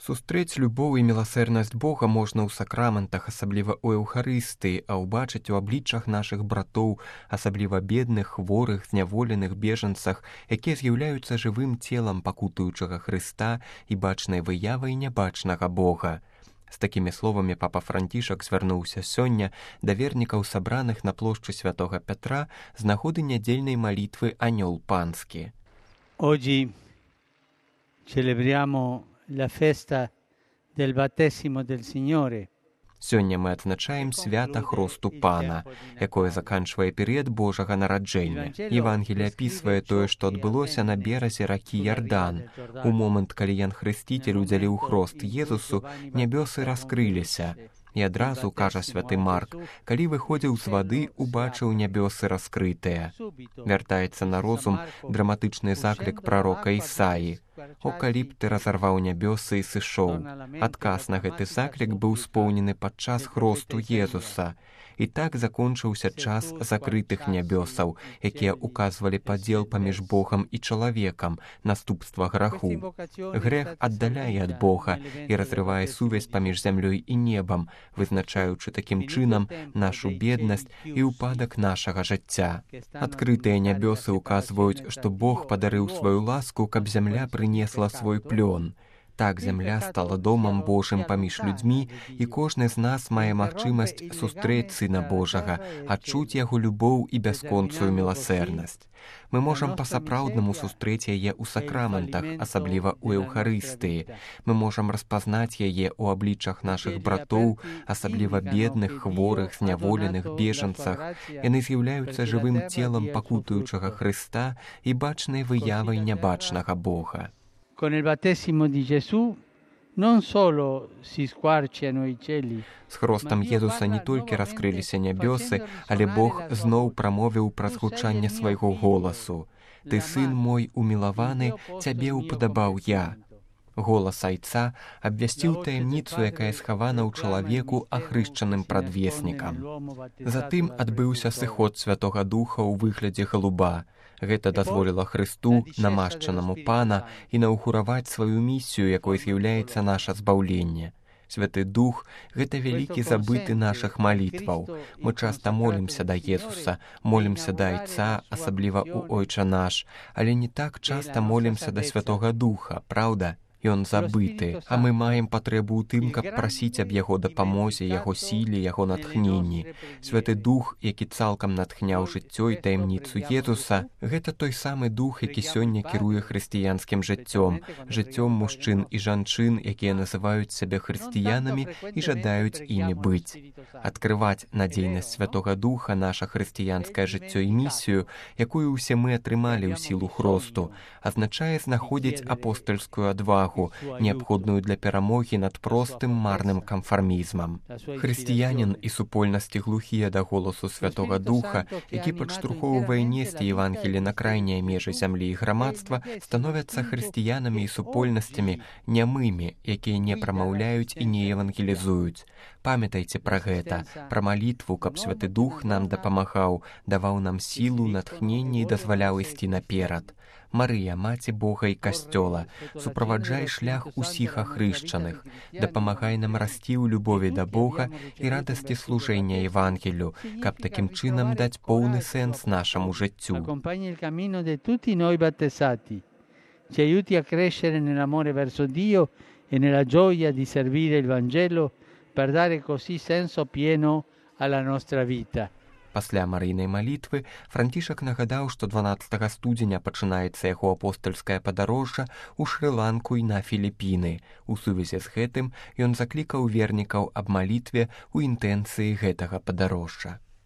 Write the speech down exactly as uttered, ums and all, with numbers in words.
Сустрэць любоў і міласэрнасць Бога можна ў сакраментах, асабліва ў Еўхарыстыі, а ўбачыць у абліччах нашых братоў, асабліва бедных, хворых, зняволеных, бежанцах, якія з'яўляюцца жывым целам пакутуючага Хрыста і бачнай выявай нябачнага Бога. З такімі словамі папа Францішак звярнуўся сёння да вернікаў, сабраных на плошчы святога Пятра з нагоды нядзельнай малітвы «Анёл панскі». Oggi celebriamo la festa del battesimo del Signore. Сёння мы адзначаем свята Хросту Пана, якое заканчвае перыяд Божага нараджэння. Евангелие апісвае тое, што адбылося на беразе ракі Ярдан. У момант, калі Ян Хрысціцель удзяліў хрост Езусу, нябёсы раскрыліся. І адразу, кажа святы Марк, калі выходзіў з вады, убачыў нябёсы раскрытыя. Вяртаецца на розум драматычны заклік прарока Ісаі. «О, калі б ты разарваў нябёсы і сышоў». Адказ на гэты заклік быў споўнены падчас хросту Езуса. І так закончыўся час закрытых нябёсаў, якія указвалі падзел паміж Богам і чалавекам, наступства граху. Грэх аддаляе ад Бога і разрывае сувязь паміж зямлёй і небам, вызначаючы такім чынам нашу беднасць і ўпадак нашага жыцця. Адкрытыя нябёсы указваюць, што Бог падарыў сваю ласку, каб зямля прынесла свой плён. Так зямля стала домам Божым паміж людзьмі, і кожны з нас мае магчымасць сустрэць Сына Божага, адчуць яго любоў і бясконцую міласэрнасць. Мы можам па-сапраўднаму сустрэць яе ў сакраментах, асабліва ў Еўхарыстыі. Мы можам распазнаць яе ў абліччах нашых братоў, асабліва бедных, хворых, зняволеных, бежанцах. Яны з'яўляюцца жывым целам пакутуючага Хрыста і бачнай выявай нябачнага Бога. Con il battesimo di Gesù non solo si squarciano i cieli. З хростам Езуса не толькі раскрыліся нябёсы, але Бог зноў прамовіў праз гучанне свайго голасу. «Ты, сын мой умілаваны, цябе ўпадабаў я». Голас Айца абвясціў таямніцу, якая схавана ў чалавеку, ахрышчаным прадвеснікам. Затым адбыўся сыход Святога Духа ў выглядзе галуба. Гэта дазволіла Хрысту, намашчанаму Пана, інаўгураваць сваю місію, якой з'яўляецца наша збаўленне. Святы Дух – гэта вялікі забыты нашых малітваў. Мы часта молімся да Езуса, молімся да Айца, асабліва ў Ойча наш, але не так часта молімся да Святога Духа, праўда? Ён забыты, а мы маем патрэбу ў тым, каб прасіць аб яго дапамозе, яго сіле, яго натхненні. Святы Дух, які цалкам натхняў жыццё і таямніцу Езуса, гэта той самы Дух, які сёння кіруе хрысціянскім жыццём, жыццём мужчын і жанчын, якія называюць сябе хрысціянамі і жадаюць імі быць. Адкрываць надзейнасць Святога Духа, наша хрысціянскае жыццё і місію, якую ўсе мы атрымалі ў сілу хросту, азначае знаходзіць апостальскую адвагу, неабходную для перамогі над простым марным канфармізмам. Хрысціянін і супольнасці глухія да голасу Святога Духа, які падштурхоўвае несці Евангелі на крайнія межы зямлі і грамадства, становяцца хрысціянамі і супольнасцямі нямымі, якія не прамаўляюць і не евангелізуюць. Памятайце пра гэта, пра малітву, каб Святы Дух нам дапамагаў, даваў нам сілу, натхненне і дазваляў ісці наперад. Марыя, Маці Бога і Касцёла, суправаджай шлях усіх ахрышчаных, дапамагай нам расці ў любові да Бога і радасці служэння Евангелю, каб такім чынам даць поўны сэнс нашаму жыццю. Accompagni il cammino di tutti noi battezzati. Ci aiuti a crescere nell'amore verso Dio e nella gioia di servire il Vangelo per dare così senso pieno alla nostra vita. Пасля марыйнай малітвы Францішак нагадаў, што дванаццатага студзеня пачынаецца яго апостальскае падарожжа ў Шры-Ланку і на Філіпіны. У сувязі з гэтым ён заклікаў вернікаў аб малітве ў інтэнцыі гэтага падарожжа.